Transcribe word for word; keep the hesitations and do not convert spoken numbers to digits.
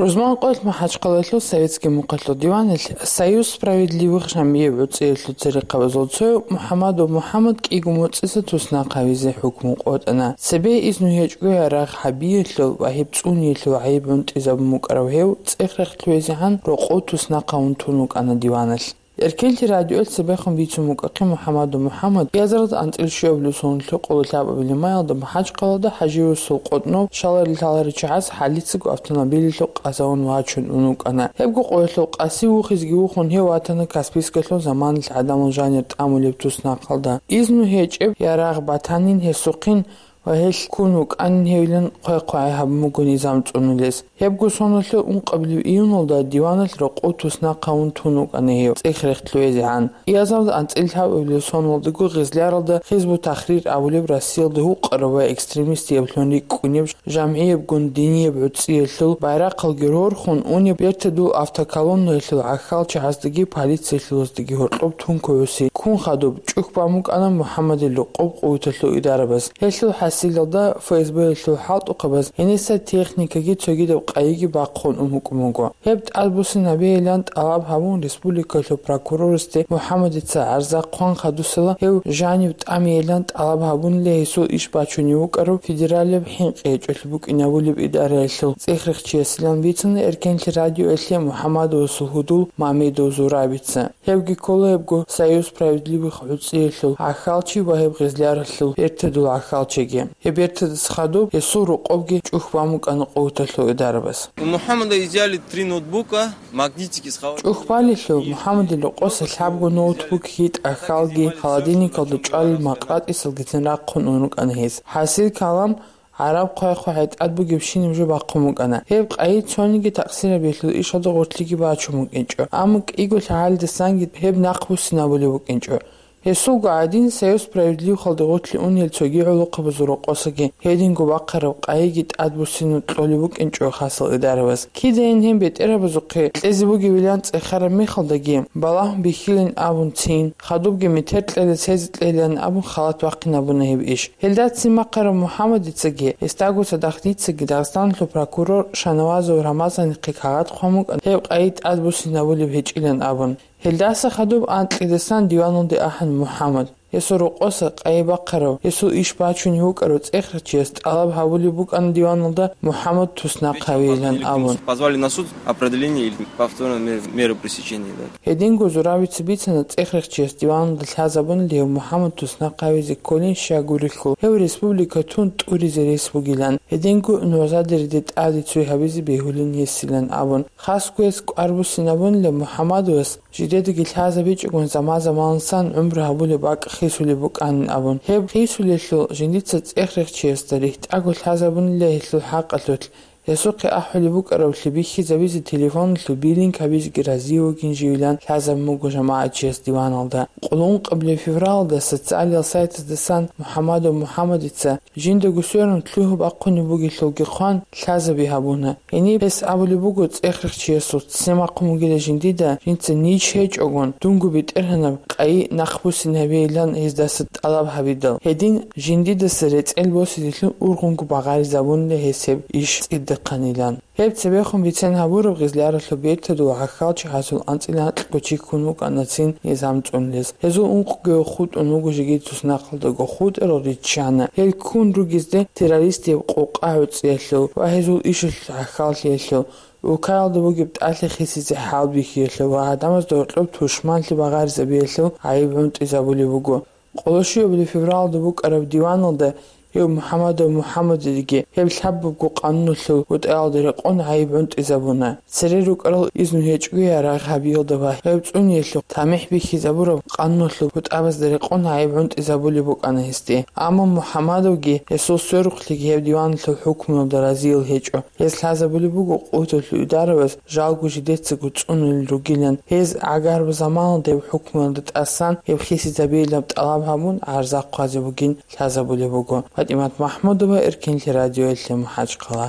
Рузман къоялъ МахӀачхъалаялъул Советский мухъалъул диваналъ Союз справедливых жамгӀияб гӀуцӀиялъул церехъабазул цояв МухӀамадов МухӀамад кӀиго моцӀиса туснахъ гьавизе хӀукму къотӀана. Цебе изну гьечӀго ярагъ гьабиялъул ва гьеб цӀуниялъул гӀайиб гӀунтӀизабун букӀарав гьев цӀех-рехс лъугӀизегӀан рокъов туснахъ гьавун тун вукӀана диваналъ. Эркенлъи радиоялъ цебехун бицун букӀахъе МухӀамадов МухӀамад, кӀиазарда анцӀила щуабилеб соналъул къоло лъабабилеб маялда МахӀачхъалада ХӀажи-Расул къотӀнов, щаларел лъаларел чагӀаз хӀалицаго автомобилалъул къазавун вачун ун вукӀана. Гьебго къоялъул къаси вухизеги вухун, гьев ватана Каспийскалъул заманалъ гӀадамал жанир тӀамулеб туснахъалда. Изну гьечӀеб ярагъ батанин гьесухъин ва гьелъ ккун вукӀанин гьевилан хъвай-хъвай гьабун буго низам цӀунулес. Гьебго соналъул ункъабилеб июналда диваналъ рокъов туснахъ гьавун тун вукӀана гьев цӀех-рехс лъугӀизегӀан. Кьиазалда анцӀила лъабабилеб соналдаго Гъизляралда Хизбут-Тахрир абулеб Россиялда гьукъараб ва экстремистиблъун рикӀкӀунеб жамгӀиябгун динияб гӀуцӀиялъул байрахъалги рорхун унеб бертадул автоколоннаялъул гӀахьалчагӀаздаги полициялъулаздаги гьоркьоб тункугӀуси ккун хадуб чӀухь бан букӀана МухӀамадил рокъоб къуваталъул идарабаз. Гьелъул хӀасилалда ФСБ-ялъул хӀалтӀухъабаз гьениса техникаги цогидаб къайиги бахъун ун букӀун буго. Гьеб тӀадбуссинабейилан тӀалаб гьабун республикалъул прокурорасде МухӀамадица гӀарза хъван хадусала гьев жанив тӀамейилан тӀалаб гьабунила гьесул иш бачунев вукӀарав федералияб хӀинкъи гьечӀолъи букӀинабулеб идараялъул цӀех-рехчиясилан бицана Эркенлъи радиоялъе МухӀамадовасул гьудул Мамедов Зурабица. Гьевги ккола гьебго Союз справедливых гӀуцӀиялъул гӀахьалчи ва гьеб Гъизляралъул бертадул гӀахьалчиги. Гьеб бертадаса хадуб гьесул рокъобги чӀухь бан букӀана къуваталъул идарабаз. У Мухаммада изъяли три ноутбука, магнитики с холодильника. ЧӀухь балелъул МухӀамадил рокъоса лъабго ноутбук, гьитӀ гӀахьалги, холодильникалда чӀвалел макъатӀисалгицин рахъун ун рукӀана гьес. ХӀасил калам гӀараб хъвай-хъвай тӀад бугебщинаб жо бахъун букӀана. Гьеб къайи цониги такъсирабиялъул ишалда гъорлъиги бачун букӀинчӀо, амма кӀиго лъагӀалидасанги гьеб нахъбуссинабулеб букӀинчӀо. Гьесулго гӀадин, Союз справедливыхалда гъорлъе унел цоги гӀолохъабазул рокъосаги гьединго бахъараб къайиги тӀадбуссинаб кьолеб букӀинчӀо хасал идарабаз. Кидайин гьеб бетӀергьабазухъе кьезе бугебилан цӀехараб мехалдаги, балагь бихьилин абун цин, хадубги метер кьела, цезе кьелилан абун халат бахъинабуна гьеб иш. Гьелдацин бахъараб МухӀамадицаги, гьесдаго цадахъ дицаги Дагъистаналъул прокурор Шанавазов Рамазанихъе кагъат хъван букӀана гьеб къайи тӀадбуссинабулеб гьечӀилан абун. Гьелдаса хадуб анкьидасан диваналде ахӀана МухӀамад. Гьесул рокъоса къайи бахъарав, гьесул иш бачунев вукӀарав цӀехрачияс тӀалаб гьабулеб букӀана диваналда МухӀамад туснахъ гьавейилан абун. Позвали на суд определение или повторной мер-, меры пресечения, да. Гьединго Зурабица бицана цӀехрачияс диваналда лъазабун лев МухӀамад туснахъ гьавизе кколин щай гурелъул, гьев республика тун тӀуризе рес бугилан. Гьединго нугӀзадериде тӀаде цой гьабизе бегьулин гьесилан абун. Хасго гьес кӀвар буссинабунила МухӀамадовас жидедаги лъазабичӀогун заман-заманалдасан гӀумру гьабулеб бакӀ хисулеб букӀанин абун. Гьеб хисулелъул жиндица цӀех-рехчиясда рихьтӀаго лъазабунила гьелъул хӀакъалъулъ. Гьесухъе ахӀулеб букӀараблъи бихьизабизе телефоналъул биллинг гьабизеги разие вугин живилан лъазабун буго жамагӀатчияс диваналда. Къуллукъабилеб февралалда социалиял сайтаздасан МухӀамадов МухӀамадица жиндаго сверун лъугьа-бахъунеб бугелъулги хъван, лъазаби гьабуна. Гьениб гьес абулеб буго цӀех-рехчиясул: «Ццин бахъун бугила жиндида, жинца ниж гьечӀогун, дунго БетӀергьанаб къайи нахъбуссинабейилан гьездаса тӀалаб гьабидал. Гьедин жиндидаса рецӀел босизелъун ургъунго багъаризабунила гьес гьеб иш цӀидахъанилан». Гьеб цебехун бицен гьабураб Гъизляралъул бертадул гӀахьалчагӀазул анцӀила анкьго чи ккун вукӀанацин низам цӀунулес. Гьезул ункъгояв хутӀун вуго жеги туснахъалдаго хутӀарал риччана. Гьел ккун ругезде террористияб къокъа гӀуцӀиялъул ва гьезул ишалъул гӀахьаллъиялъул, улкаялда бугеб тӀалъи хисизе хӀалбихьиялъул ва гӀадамазда гьоркьоб тушманлъи багъаризабиялъул гӀайиб гӀунтӀизабулеб буго. Къоло щуабилеб февралалда букӀараб диваналда гьев МухӀамадов МухӀамадидаги гьеб лъабабго къануналъул бутӀаялда рекъон гӀайиб гӀунтӀизабуна. Цере рукӀарал изну гьечӀго ярагъ гьабиялда ва гьев цӀуниялъухъ тамихӀ бихьизабураб къануналъул бутӀабазда рекъон гӀайиб гӀунтӀизабулеб букӀана гьесде. Амма МухӀамадовги гьесул сверухълъиги гьеб диваналъул хӀукмуялда разиял гьечӀо. Гьес лъазабулеб буго къуваталъул идарабаз жалго жидецаго цӀунулел ругилан. Гьез гӀагар заманалда гьеб хӀукмуялда тӀасан гьеб хисизабейилан тӀалаб гьабун гӀарза хъвазе бугин лъазабулеб буго. ПатӀимат МахӀмудова, Эркенлъи радиоялъе, МахӀачхъала.